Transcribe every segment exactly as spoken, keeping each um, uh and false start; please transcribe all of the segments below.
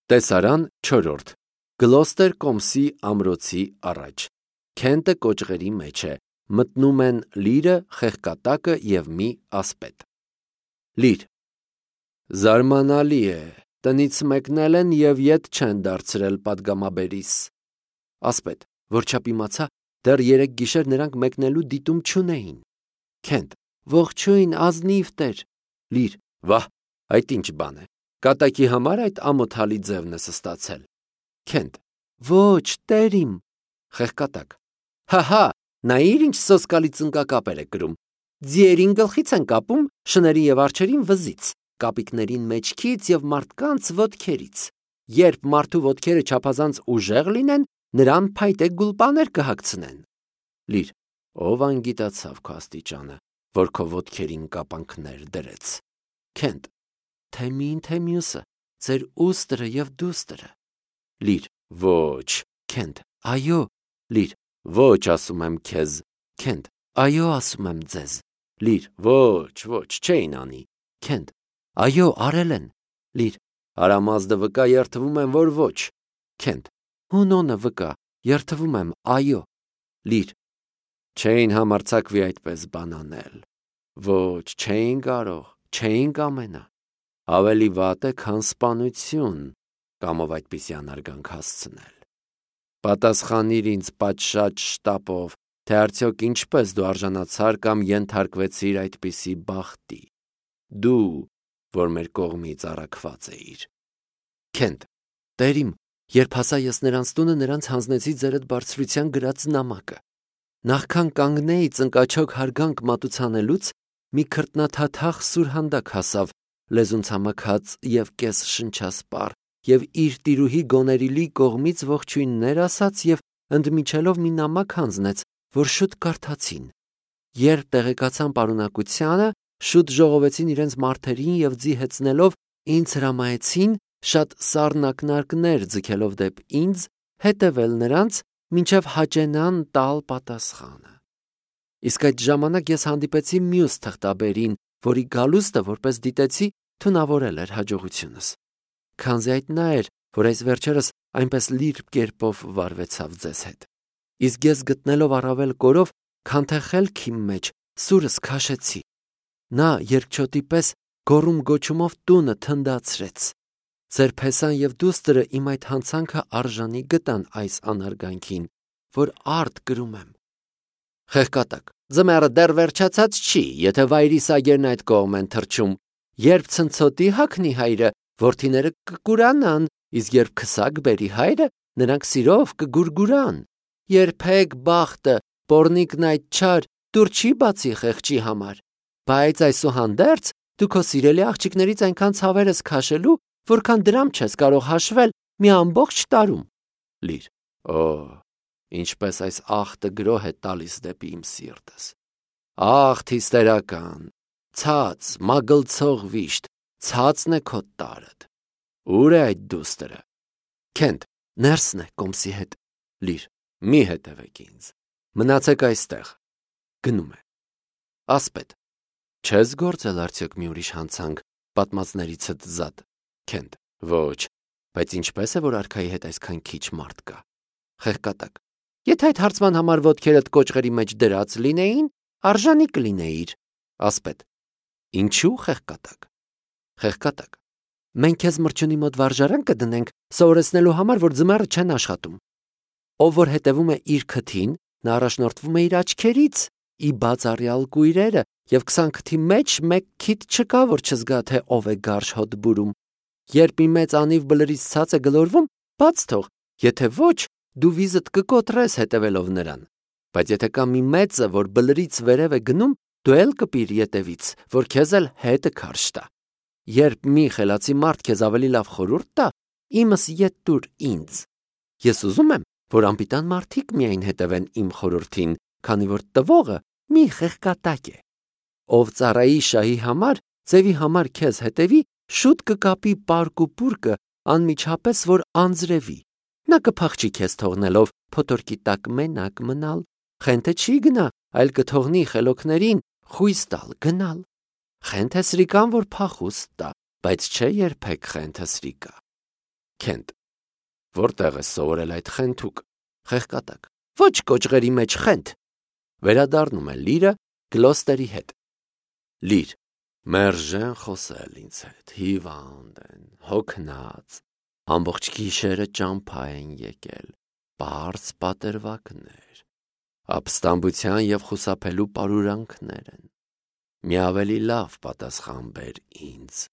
Տեսարան չորրորդ Գլոստեր կոմսի ամրոցի առաջ Քենտը կոճղերի մեջ է, մտնում են լիրը, խեղկատակը և մի ասպետ։ Լիր Զարմանալի է, տնից մեկնել են և ետ չեն դարձրել պատգամաբերիս։ Ասպետ, որչափ իմացա, դեռ երեկ գիշեր նրանք մեկնելու դիտում չունեին։ Քենտ, ողջույն, ազնիվ տեր։ Լիր, վահ, այդ ինչ բան է, կատակի համար այդ ամոթալի ձևն ես ստացել։ Քենտ, ոչ, տեր իմ։ Խեղկատակ, հահա, նայիր ինչ սոսկալի ծնկակապեր է կրում։ Ձիերին գլխից են կապում, շներին և արջերին վզից, կապիկներին մեջքից և մարդկանց ոտքերից։ Երբ մարդու ոտքերը չափազանց ուժեղ լինեն, նրան փայտե գուլպաներ կհագցնեն։ Լիր, ով անգիտացավ քո աստիճանը, որ քո ոտքերին կապանքներ դրեց։ Քենտ, թե մին, թե մյուսը, ձեր ուստրը և դուստրը։ Լիր, ոչ, Քենտ, այո, Լիր, ոչ, ասում եմ քեզ, Քենտ, այո, ասում եմ ձեզ։ Լիր, ոչ, ոչ, չէին անի։ Քենտ, այո, արել են։ Լիր, հարամազդը վկա, երդվում եմ, որ ոչ։ Քենտ, հունոնը վկա, երդվում եմ, այո։ Լիր, չէին համարձակվի այդպես բան անել։ Ոչ, չէին կարող, չէին կամենա։ Ավելի վատ է, քան սպանություն, կամով այդպիսի անարգանք հասցնել։ Պատասխանիր ինձ պատշաճ շտապով, թե արդյոք ինչպես դու արժանացար կամ ենթարկվեցիր այդպիսի բախտի։ Դու, որ մեր կողմից առաքված էիր։ Քենտ, տեր իմ, երբ հասա ես նրանց տունը, նրանց հանձնեցի ձերդ բարձրության գրած նամակը։ Նախքան կանգնեի ծնկաչոք հարգանք մատուցանելուց, մի քրտնաթաթախ սուրհանդակ հասավ, լեզուն ցամաքած և կես շնչասպառ, և իր տիրուհի Գոներիլի կողմից ողջույններ ասաց և ընդմիջելով մի նամակ հանձնեց, որ շուտ կարդացին։ Երբ տեղեկացան պարունակությանը, շուտ ժողովեցին իրենց մարդերին և ձիհեցնելով ինձ հրամայեցին, շատ սառնակնարկներ ձգելով դեպ ինձ, հետևել նրանց, մինչև հաճենան տալ պատասխանը։ Իսկ այդ ժամանակ ես հանդիպեցի մյուս թղթաբերին, որի գալուստը, որպես դիտեցի, թունավորել էր հաջողությունս։ Քանզի այդ նա էր, որ այս վերջերս այնպես լիրբ կերպով վարվեցավ ձեզ հետ։ Իսկ ես գտնելով առավել կորով, քան թե խելքի մեջ, սուրս քաշեցի։ Նա երկչոտի պես գոռում գոչումով տունը թնդացրեց։ Ձեր փեսան և դուստրը իմ այդ հանցանքը արժանի գտան այս անարգանքին, որ արդ կրում եմ։ Խեղկատակ, ձմեռը դեռ վերջացած չի, եթե վայրի սագերն այդ կողմ են թռչում։ Երբ ցնցոտի հագնի հայրը, որդիները կկուրանան, իսկ երբ քսակ բերի հայրը, նրանք սիրով կգուրգուրան։ Երբեք բախտը, պոռնիկն այդ չար, դուր չի բացի խեղճի համար։ Բայց այսուհանդերձ դու քո սիրելի աղջիկներից այնքան ցավեր ես քաշելու, որքան դրամ չես կարող հաշվել մի ամբողջ տարում։ Լիր, օ, ինչպես այս աղտը գրոհ է տալիս դեպի իմ սիրտս։ Աղտ հիստերական, ցած, մագլցող վիշտ, ցածն է քո տարդ։ Ուր է այդ դուստրը։ Քենտ, ներսն է կոմսի հետ։ Լիր, մի հետևեք ինձ։ Մնացեք այստեղ։ Գնում է։ Ասպետ, չես գործել արդյոք մի ուրիշ հանցանք պատմածներիցդ զատ։ Քենտ, ոչ, բայց ինչպես է, որ արքայի հետ այսքան քիչ մարդ կա։ Խեղկատակ, եթե այդ հարցման համար ոտքերդ կոճղերի մեջ դրած լինեին, արժանի կլինեիր։ Ասպետ, ինչու խեղկատակ։ Խեղկատակ, մենք քեզ մրջյունի մոտ վարժարան կդնենք, սովորեցնելու համար, որ ձմեռը չեն աշխատում։ Ով որ հետևում է իր քթին, նա առաջնորդվում է իր աչքերից, ի բացառյալ կույրերը, և քսան քթի մեջ մեկ քիթ չկա, որ չզգա, թե ով է գարշ հոտ բուրում։ Երբ մի մեծ անիվ բլրից ցած է գլորվում, բաց թող, եթե ոչ, դու վիզդ կկոտրես հետևելով նրան։ Բայց եթե կա մի մեծը, որ բլրից վերև է գնում, դու էլ կպիր ետևից, որ քեզ էլ հետը քարշ տա։ Երբ մի խելացի մարդ քեզ ավելի լավ խորհուրդ տա, իմս ետ տուր ինձ։ Ես ուզում եմ, որ անպիտան մարդիկ միայն հետևեն իմ խորհրդին, քանի որ տվողը մի խեղկատակ է։ Ով ծառայի շահի համար, ձևի համար քեզ հետևի, շուտ կկապի պարկ ու պուրկը անմիջապես, որ անձրևի։ Նա կփախչի քեզ թողնելով փոթորկի տակ մենակ մնալ, խենթը չի գնա, այլ կթողնի խելոքներին խույս տալ գնալ։ Խենթ է սրիկան, որ փախուստ տա, բայց չէ երբեք խենթը սրիկա։ Քենտ. Որտեղ ես սովորել այդ խենթուկ։ Խեղկատակ. Ոչ կոճղերի մեջ խենթ։ Վերադառնում է Լիրը Գլոստերի հետ։ Լիր. Մերժեն խոսել ինձ հետ, հիվանդ են, հոգնած, ամբողջ գիշերը ճամփա են եկել, պարզ պատերվակներ, ապստամբության և խուսափելու պարուրանքներ են։ Մի ավելի լավ պատասխան բեր ինձ։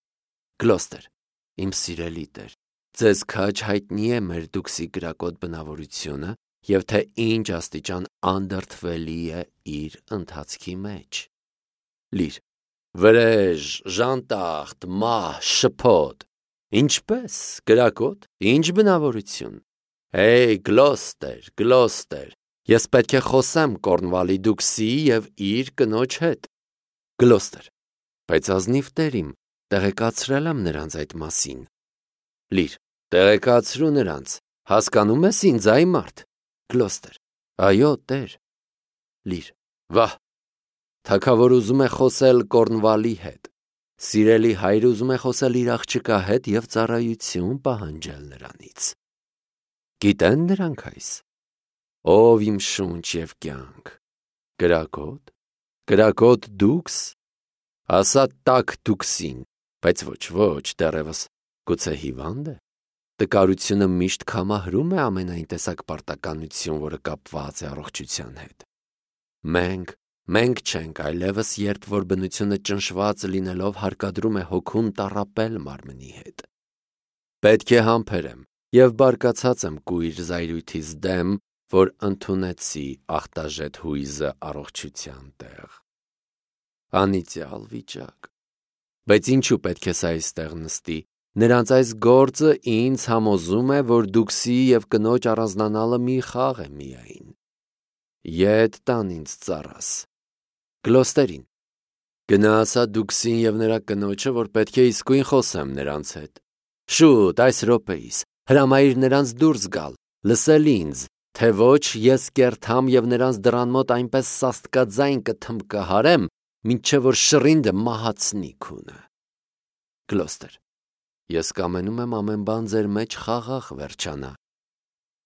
Գլոստեր. Իմ սիրելի տեր, ձեզ քաջ հայտնի է մեր դուքսի կրակոտ բնավորությունը և թե ինչ աստիճան անդրդվելի է իր ընթացքի մեջ։ Լիր. Վրեժ, ժանտախտ, մահ, շփոթ, ինչպես, կրակոտ, ինչ բնավորություն։ Հեյ, Գլոստեր, Գլոստեր, ես պետք է խոսեմ Կորնվալի դուքսի և իր կնոջ հետ։ Գլոստեր. Բայց ազնիվ տեր իմ, տեղեկացրել եմ նրանց այդ մասին։ Լիր. Տեղեկացրու նրանց, հասկանում ես ինձ այ մարդ։ Գլոստեր. Այո, տեր։ Լիր. Վահ, թագավոր ուզում է խոսել Կորնվալի հետ, սիրելի հայր ուզում է խոսել իր աղջկա հետ և ծառայություն պահանջել նրանից։ Գիտեն նրանք այս։ Ով իմ շունչ և կյանք, կրակոտ, կրակոտ դուքս, ասա տաք դուքսին, բայց ոչ, ոչ, դեռևս գուցե հիվանդ է։ Տկարությունը միշտ կամահրում է ամենայն տեսակ պարտականություն, որը կապված է առողջության հետ։ Մենք, մենք չենք այլևս, երբ որ բնությունը ճնշված լինելով հարկադրում է հոգուն տառապել մարմնի հետ։ Պետք է համբերեմ և բարկացած եմ կույր զայրույթիս դեմ, որ ընդունեցի ախտաժետ հույզը առողջության տեղ։ Անիծյալ վիճակ։ Բայց ինչու պետք է սա այստեղ նստի։ Նրանց այս գործը ինձ համոզում է, որ դուքսի և կնոջ առանձնանալը մի խաղ է միայն։ Ետ տան ինձ ծառաս։ Գլոստերին. Գնա ասա դուքսին և նրա կնոջը, որ պետք է իսկույն խոսեմ նրանց հետ։ Շուտ, այս րոպեիս, հրամայիր նրանց դուրս գալ, լսել ինձ, թե ոչ ես կերթամ և նրանց դռան մոտ այնպես սաստկաձայն կթմբկահարեմ, մինչև որ շռինդը մահացնի քունը։ Գլոստեր. Ես կամենում եմ ամեն բան ձեր մեջ խաղաղ վերջանա։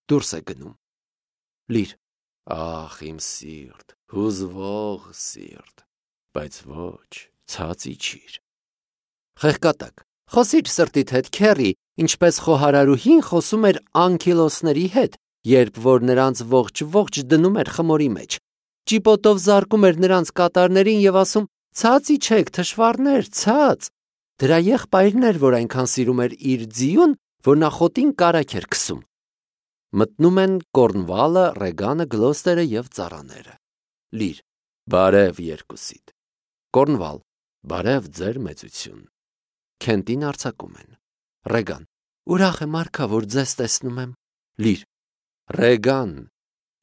Դուրս է գնում։ Լիր. Ախ, իմ սիրտ, հուզվող սիրտ, բայց ոչ, ցած իջիր։ Խեղկատակ. Խոսիր սրտիդ հետ, քեռի, ինչպես խոհարարուհին խոսում էր անկիլոսների հետ, երբ որ նրանց ողջ-ողջ դնում էր խմորի մեջ։ Ճիպոտով զարկում էր նրանց կատարներին և ասում. Ցած իջեք, թշվառներ, ցած։ Դրա եղբայրն էր, որ այնքան սիրում էր իր ձիուն, որ նա խոտին կարագ էր քսում։ Մտնում են Կորնվալը, Ռեգանը, Գլոստերը և ծառաները։ Լիր. Բարև երկուսիդ։ Կորնվալ. Բարև ձեր մեծություն։ Քենտին արձակում են։ Ռեգան. Ուրախ եմ արքա, որ ձեզ տեսնում եմ։ Լիր. Ռեգան,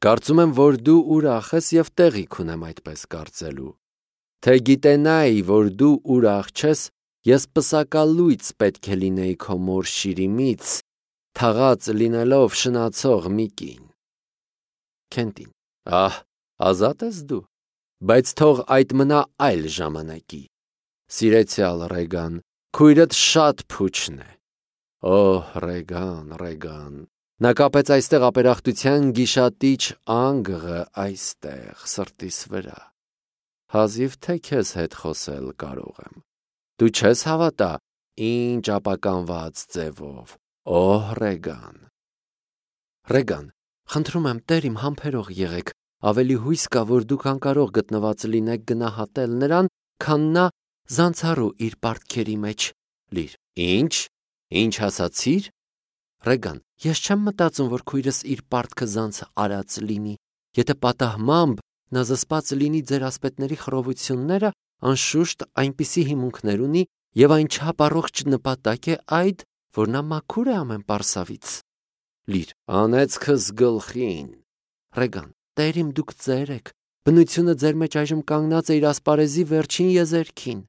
կարծում եմ, որ դու ուրախ ես և տեղիք ունեմ այդպես կարծելու։ Թե գիտենայի, որ դու ուրախ չես, ես պսակալույց պետք է լինեի քո մոր շիրիմից, թաղած լինելով շնացող մի կին։ Քենտին. Ահ, ազատ ես դու, բայց թող այդ մնա այլ ժամանակի։ Սիրեցյալ Ռեգան, քույրդ շատ փուչն է։ Օհ, Ռեգան, Ռեգան, նա կապեց այստեղ ապերախտության գիշատիչ անգղը այստեղ, սրտիս վրա։ Հազիվ թե քեզ հետ խոսել կարող եմ։ Դու չես հավատա, ինչ ապականված ձևով, օհ, Ռեգան։ Ռեգան, խնդրում եմ, տեր իմ համբերող եղեք, ավելի հույս կա, որ դուք անկարող գտնված լինեք գնահատել նրան, քան նա զանցառու իր պարտքերի մեջ։ Լիր. Ինչ, ինչ ասացիր։ Ռեգան, ես չեմ մտածում, որ քույրս իր պարտքը զանց արած լինի։ Եթե պատահմամբ նա զսպած լինի ձեր ասպետների խռովությունները, անշուշտ այնպիսի հիմունքներ ունի և այն չափ առողջ նպատակ է այդ, որ նա մաքուր է ամեն պարսավից։ Լիր. Անեծքս գլխին։ Ռեգան, տեր իմ, դուք ծեր եք, բնությունը ձեր մեջ այժմ կանգնած է իր ասպարեզի վերջին եզերքին։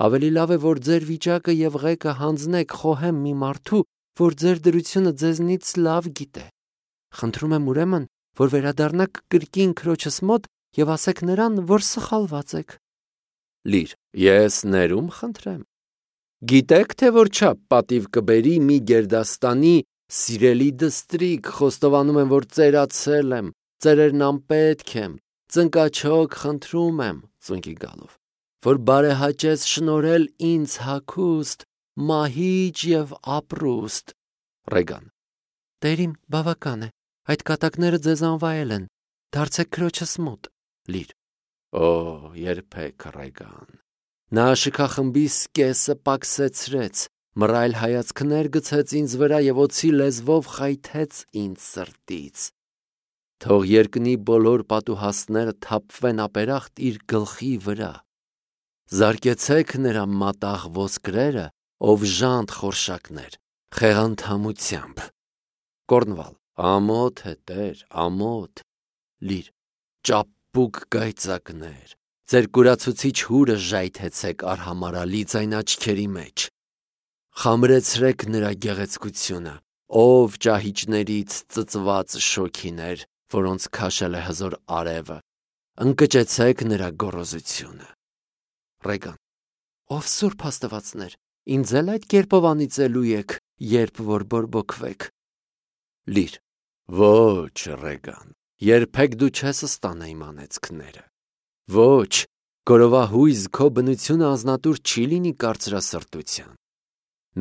Ավելի լավ է, որ ձեր վիճակը և ղեկը հանձնեք խոհեմ մի մարդու, որ ձեր դրությունը ձեզնից լավ գիտե։ Խնդրում եմ ուրեմն, որ վերադառնաք կրկին քրոջս մոտ և ասեք նրան, որ սխալված եք։ Լիր. Ես ներում խնդրեմ։ Գիտեք, թե որ չափ պատիվ կբերի մի գերդաստանի սիրելի դստրիկ, խոստովանում եմ, որ ծերացել եմ, ծերերն անպետք եմ, ծնկաչոք խնդրում եմ, ծունկի գալով, որ բարեհաճես շնորհել ինձ հագուստ, մահիճ և ապրուստ։ Ռեգան. Տերիմ, բավական է, այդ կատակները ձեզ անվայել են, դարձեք քրոջս մոտ։ Լիր. Օ, երբեք, Ռեգան։ Նա շքախմբի սկեսը պակսեցրեց, մռայլ հայացքներ գցեց ինձ վրա և օձի լեզվով խայթեց ինձ սրտից։ Թող երկնի բոլոր պատուհասները թափվեն ապերախտ իր գլխի վրա։ Զարկեցեք նրա մատաղ ոսկրերը, ով ժանտ խորշակներ, խեղանդամությամբ։ Կորնվալ. Ամոթ է, տեր, ամոթ։ Լիր. ճապուկ գայծակներ, ձեր կուրացուցիչ հուրը ժայթեցեք արհամարալի ձայն աչքերի մեջ։ Խամրեցրեք նրա գեղեցկությունը, ով ճահիճներից ծծված շոգիներ, որոնց քաշել է հզոր արևը, ընկճեցեք նրա գոռոզությունը։ Ռեգան. Ով սուրբ աստվածներ, ինձ էլ այդ կերպով անիծելու եք, երբ որ բորբոքվեք։ Լիր. Ոչ, Ռեգան, երբեք դու չես ստանա իմ անեծքները։ Ոչ, գորովահույզ քո բնությունը անձնատուր չի լինի կարծրասրտության։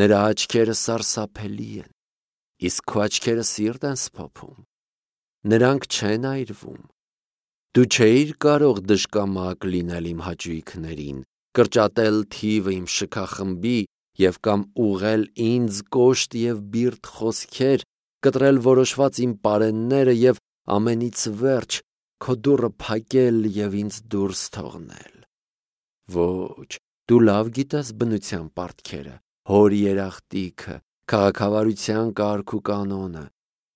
Նրա աչքերը սարսափելի են, իսկ քո աչքերը սիրտ են սփոփում։ Նրանք չեն այրվում։ Դու չէիր կարող դժկամակ լինել իմ հաճույքներին, կրճատել թիվը իմ շքախմբի և կամ ուղղել ինձ կոշտ և բիրտ խոսքեր, կտրել որոշված իմ պարենները և ամենից վերջ քո դուռը փակել և ինձ դուրս թողնել։ Ոչ, դու լավ գիտես բնության պարտքերը, հոր երախտիքը, քաղաքավարության կարգ ու կանոնը,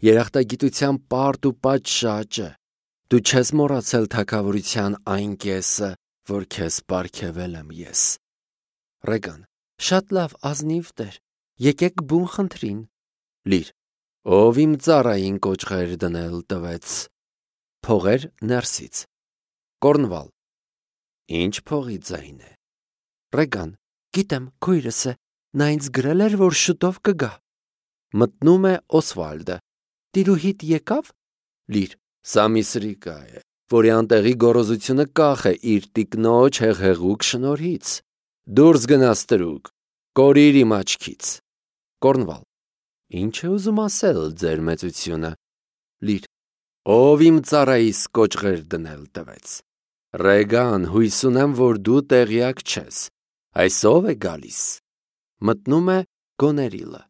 երախտագիտության պարտ ու պատշաճը։ Դու չես մոռացել թագավորության այն կեսը, որ քեզ պարգևել եմ ես։ Ռեգան. Շատ լավ, ազնիվ տեր, եկեք բուն խնդրին։ Լիր. Ով իմ ծառային կոճղեր դնել տվեց։ Փողեր ներսից։ Կորնվալ. Ինչ փողի ձայն է։ Ռեգան. Գիտեմ, քույրս է, նա ինձ գրել էր, որ շուտով կգա։ Մտնում է Օսվալդը. Տիրուհիդ եկավ։ Լիր. Սա մի սրիկա է, որի անտեղի գոռոզությունը կախ է իր տիկնոջ հեղեղուկ շնորհից։ Դուրս գնա ստրուկ, կորիր իմ աչքից։ Կորնվալ. Ինչ է ուզում ասել ձեր մեծությունը։ Լիր. Ով իմ ծառայիս կոճղեր դնել տվեց։ Ռեգան, հույս ունեմ, որ դու տեղյակ չես։ Այս ով է գալիս։ Մտնում է Գոներիլը.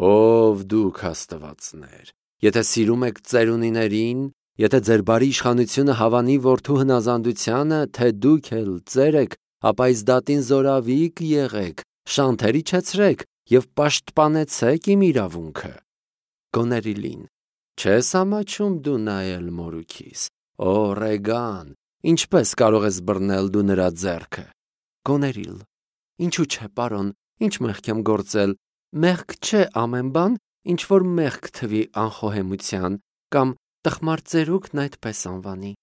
Ով դուք աստվածներ, եթե սիրում եք ծերունիներին, եթե ձեր բարի իշխանությունը հավանի որդու հնազանդությանը, թե դուք էլ ծեր եք, ապա այս դատին զորավիկ եղեք, շանթեր իջեցրեք և պաշտպանեցեք իմ իրավունքը։ Գոներիլին. Չես ամաչում դու նայել մորուքիս։ Օ, Ռեգան, ինչպես կարող ես բռնել դու նրա ձեռքը։ Գոներիլ. Ինչու չէ, պարոն, ինչ մեղք եմ գործել, մեղք չէ ամեն բան, ինչ որ մեղք թվի անխոհեմության, կամ տխմար ծերուկն այդպես անվանի։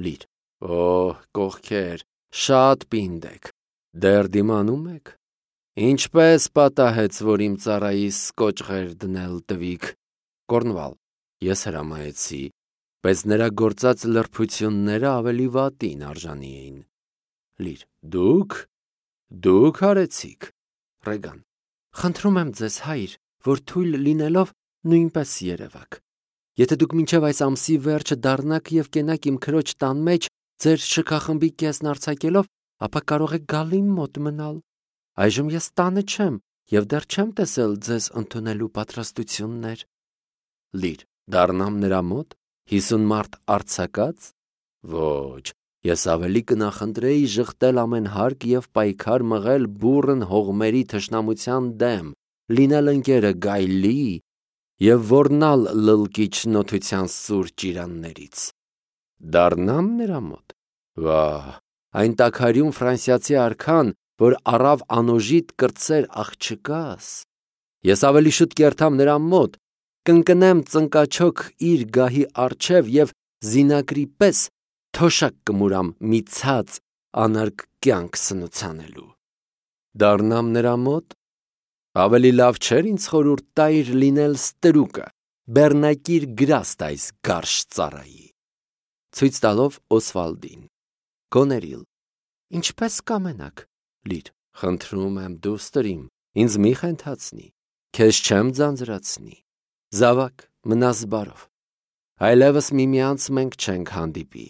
Լիր. Օհ, կողքեր, շատ պինդ եք, դեռ դիմանում եք։ Ինչպես պատահեց, որ իմ ծառայիս կոճղեր դնել տվիք։ Կորնվալ. Ես հրամայեցի, բայց նրա գործած լրբությունները ավելի վատին արժանի էին։ Լիր. Դուք, դուք արեցիք։ Ռեգան. Խնդրում եմ ձեզ, հայր, որ թույլ լինելով նույնպես երևաք։ Եթե դուք մինչև այս ամսի վերջը դառնաք և կենաք իմ քրոջ տան մեջ, ձեր շքախմբի կեսն արձակելով, ապա կարող եք գալ իմ մոտ մնալ։ Այժմ ես տանը չեմ և դեռ չեմ տեսել ձեզ ընդունելու պատրաստություններ։ Լիր. Դառնամ նրա մոտ, հիսուն մարդ արձակած։ Ոչ, ես ավելի կնախընտրեի ժխտել ամեն հարկ և պայքար մղել բուռն հողմերի թշնամության դեմ, լինել ընկերը գայլի և ոռնալ լլկիչ նոթության սուր ճիրաններից։ Դառնամ նրա մոտ։ Վահ, այն տաքարյուն ֆրանսիացի արքան, որ առավ անոժիտ կրտսեր աղջկաս։ Ես ավելի շուտ կերթամ նրա մոտ, կընկնեմ ծնկաչոք իր գահի առջև և զինակրի պես թոշակ կմուրամ մի ցած անարգ կյանք սնուցանելու։ Դառնամ նրա մոտ, ավելի լավ չէր ինձ խորհուրդ տայր լինել ստրուկը, բեռնակիր գրաստ այս գարշ ծառայի։ Ցույց տալով Օսվալդին. Գոներիլ, ինչպես կամենաք, Լիր, խնդրում եմ դուստր իմ, ինձ մի խենթացնի, քեզ չեմ ձանձրացնի, զավակ, մնաս բարով, այլևս միմյանց մենք չենք հանդիպի,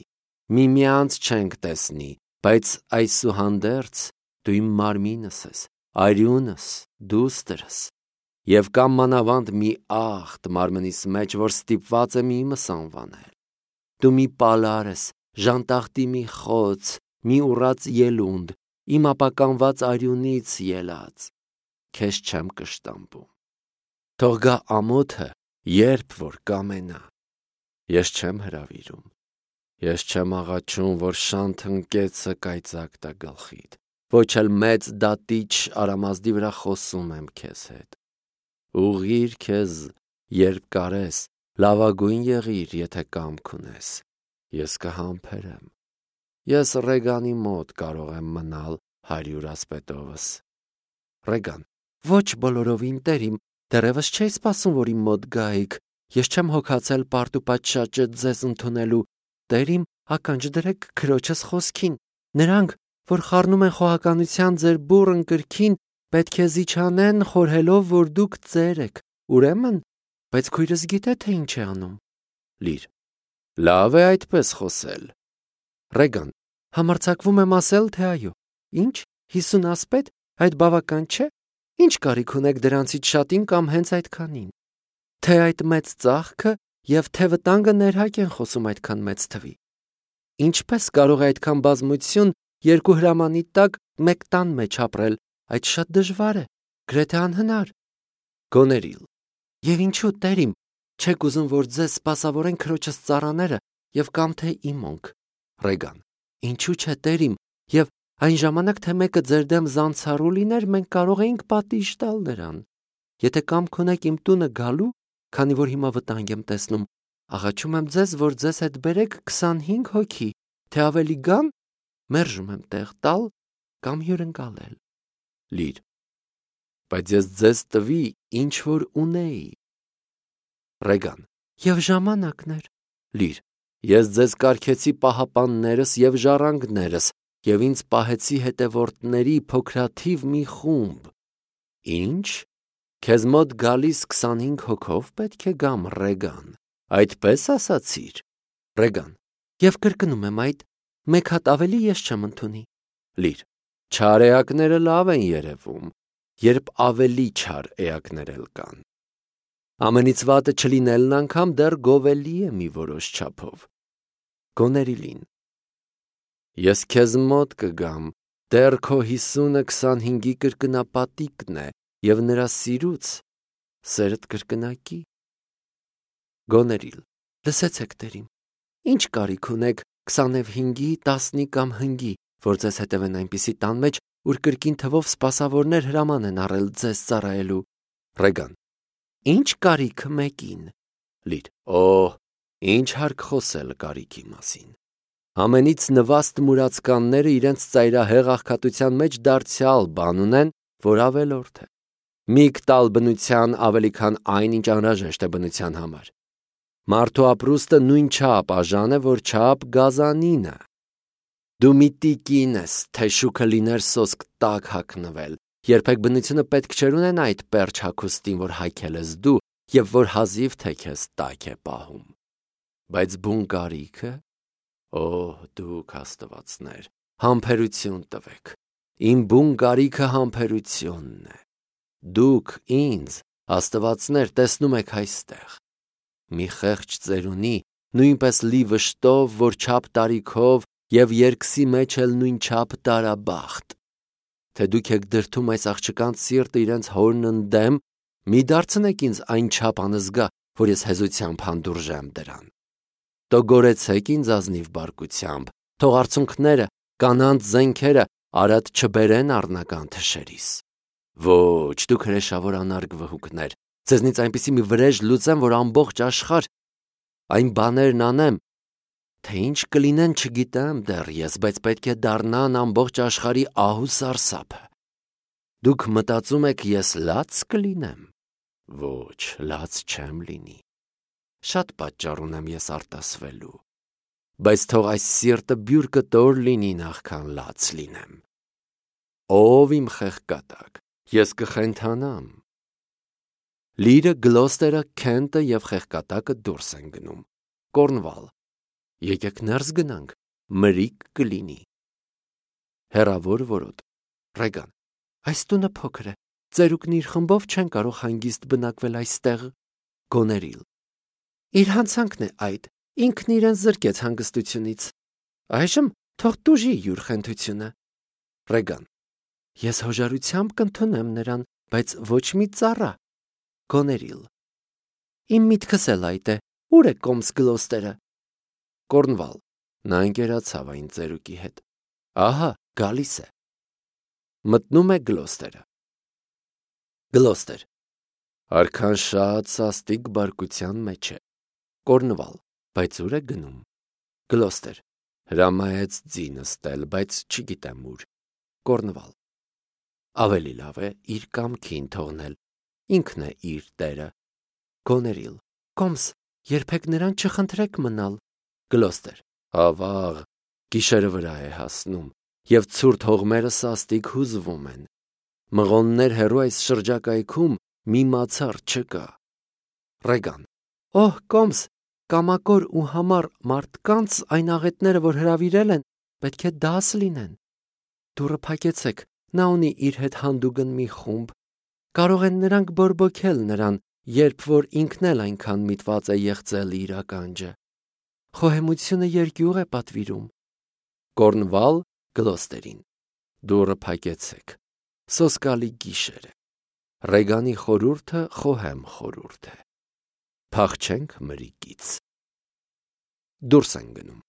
միմյանց չենք տեսնի, բայց այսուհանդերձ դու իմ մարմինս ես, արյունս, դուստրս, և կամ մանավանդ մի աղտ մարմնիս մեջ, որ ստիպված եմ իմս անվանել, դու մի պալար ես, ժանտախտի մի խոց, մի ուռած ելունդ, իմ ապականված արյունից ելած, քեզ չեմ կշտամբում, թող գա ամոթը, երբ որ կամենա, ես չեմ հրավիրում, ես չեմ աղաչում, որ շանթ ընկեցը կայծակ տա գլխիդ, ոչ էլ մեծ դատիչ արամազդի վրա խոսում եմ քեզ հետ, ուղղիր քեզ, երբ կարես, լավագույն եղիր, եթե կամք ունես, ես կհամբերեմ, ես Ռեգանի մոտ կարող եմ մնալ հարյուր ասպետովս, Ռեգան, ոչ բոլորովին տերիմ, դեռևս չէի սպասում, որ իմ մոտ գայիք, ես չեմ հոգացել պարտ ու պատշաճը ձեզ ընդունելու, տերիմ, ականջ դրեք քրոջս խոսքին, նրանք, որ խառնում են խոհականության ձեր բուռն կրքին, պետք է զիջանեն խորհելով, որ դուք ծեր եք, ուրեմն, բայց քույրս գիտե, թե ինչ է անում, Լիր, լավ է այդպես խոսել, Ռեգան, համարձակվում եմ ասել, թե այո, ինչ, հիսուն ասպետ, այդ բավական չէ, ինչ կարիք ունեք դրանցից շատին կամ հենց այդքանին, թե այդ մեծ ծաղքը և թե վտանգը ներհակ են խոսում այդքան մեծ թվի, ինչպես կարող է այդքան բազմություն երկու հրամանի տակ մեկ տան մեջ ապրել, այդ շատ դժվար է, գրեթե անհնար, Գոներիլ, և ինչու տերիմ, չեք ուզում, որ ձեզ սպասավորեն քրոջս ծառաները և կամ թե իմոնք, Ռեգան, ինչու չէ տերիմ, և այն ժամանակ, թե մեկը ձեր դեմ զանցառու լիներ, մենք կարող էինք պատիժ տալ նրան, եթե կամք ունեք իմ տունը գալու, քանի որ հիմա վտանգ եմ տեսնում, աղաչում եմ ձեզ, որ ձեզ հետ բերեք քսանհինգ հոգի, թե ավելի գան, մերժում եմ տեղ տալ կամ հյուրընկալել, Լիր, բայց ես ձեզ տվի, ինչ որ ունեի, Ռեգան, և ժամանակներ, Լիր, ես ձեզ կարգեցի պահապաններս և ժառանգներս և ինձ պահեցի հետևորդների փոքրաթիվ մի խումբ, ինչ, քեզ մոտ գալիս քսանհինգ հոգով պետք է գամ, Ռեգան, այդպես ասացիր, Ռեգան, և կրկնում եմ այդ, մեկ հատ ավելի ես չեմ ընդունի, Լիր, չար էակները լավ են երևում, երբ ավելի չար էակներ էլ կան, ամենից վատը չլինելն անգամ դեռ գովելի է մի որոշ չափով, Գոներիլին, ես քեզ մոտ կգամ, դեռ քո հիսունը քսանհինգի կրկնապատիկն է և նրա սիրուց սերդ կրկնակի, Գոներիլ, լսեցեք տերիմ, ինչ կարիք ունեք քսանևհինգի, տասնի կամ հնգի, որ ձեզ հետևեն այնպիսի տան մեջ, ուր կրկին թվով սպասավորներ հրաման են առել ձեզ ծառայելու, Ռեգան, ինչ կարիքը մեկին, Լիր, օհ, ինչ հարկ խոսել կարիքի մասին, ամենից նվաստ մուրացկանները իրենց ծայրահեղ աղքատության մեջ դարձյալ բան ունեն, որ ավելորդ է, միք տալ բնության ավելի քան այն, ինչ անհրաժեշտ է բնության համար, մարդու ապրուստը նույն չափ աժան է, որ չափ գազանինը, դու մի տիկին ես, թե շուքը լիներ սոսկ տակ հագնվել, երբեք բնությունը պետք չէր ունենա այդ պերճ հագուստին, որ հագել ես դու և որ հազիվ թե քեզ տակ է պահում, բայց բուն կարիքը, օհ, դուք աստվածներ, համբերություն տվեք, իմ բուն կարիքը համբերությունն է, դուք ինձ, աստվածներ, տեսնում եք այստեղ, մի խեղճ ծերունի, նույնպես լի վշտով, որ չափ տարիքով և երկսի մեջ էլ նույն չափ տարաբախտ, թե դուք եք դրդում այս աղջկանց սիրտը իրենց հորն ընդդեմ, մի դարձնեք ինձ այն չափ անզգա, որ ես հեզությամբ հանդուրժեմ դրան, տոգորեցեք ինձ ազնիվ բարկությամբ, թող արցունքները, կանանց զենքերը արատ չբերեն առնական թշերիս, ոչ, դուք հրեշավոր անարգ վհուկներ, ձեզնից այնպիսի մի վրեժ լուծեմ, որ ամբողջ աշխարհ, այն բաներն անեմ, թե ինչ կլինեն չգիտեմ դեռ ես, բայց պետք է դառնան ամբողջ աշխարհի ահ ու սարսափը, Դուք մտածում եք ես լաց կլինեմ։ Ոչ, լաց չեմ լինի։ Շատ պատճառ ունեմ ես արտասվելու, բայց թող այս սիրտը բյուր կտոր լինի նախքան լաց լինեմ։ Ով իմ խեղկատակ, ես կխենթանամ։ Լիրը, Գլոստերը, Քենտը և խեղկատակը դուրս են գնում։ Կորնվալ. Եկեք ներս գնանք, մրիկ կլինի։ Հեռավոր որոտ. Ռեգան. Այս տունը փոքր է, ծերուկն իր խմբով չեն կարող հանգիստ բնակվել այստեղ։ Գոներիլ. Իր հանցանքն է այդ, ինքն իրեն զրկեց հանգստությունից։ Այժմ թող տուժի յուր խենթությունը։ Ռեգան. Ես հոժարությամբ կընդունեմ նրան, բայց ոչ մի ծառա։ Գոներիլ. Իմ միտքս էլ այդ է, ուր է կոմս Գլոստերը։ Կորնվալ. Նա ընկերացավ այն ծերուկի հետ։ Ահա, գալիս է։ Մտնում է Գլոստերը։ Գլոստեր. Արքան շատ սաստիկ բարկության մեջ է։ Կորնվալ. Բայց ուր է գնում։ Գլոստեր. Հրամայեց ձի նստել, բայց չգիտեմ ուր։ Կորնվալ. Ավելի լավ է իր կամքին թողնել, ինքն է իր տերը։ Գոներիլ. Կոմս, երբեք նրան չխնդրեք մնալ։ Գլոստեր. Ավաղ, գիշերը վրա է հասնում, և ցուրտ հողմերը սաստիկ հուզվում են։ Մղոններ հեռու այս շրջակայքում մի մացառ չկա։ Ռեգան. Օհ, կոմս, կամակոր ու համառ մարդկանց այն աղետները, որ հրավիրել են, պետք է դաս լինեն։ Դուռը փակեցեք, նա ունի իր հետ հանդուգն մի խումբ։ Կարող են նրանք բորբոքել նրան, երբ որ ինքն էլ այնքան միտված է եղծել իր ականջը։ Խոհեմությունը երկյուղ է պատվիրում։ Կորնվալ Գլոստերին. Դուռը փակեցեք։ Սոսկալի գիշեր է։ Ռեգանի խորհուրդը խոհեմ խորհուրդ է։ Փախչենք մրիկից։ Դուրս են գնում։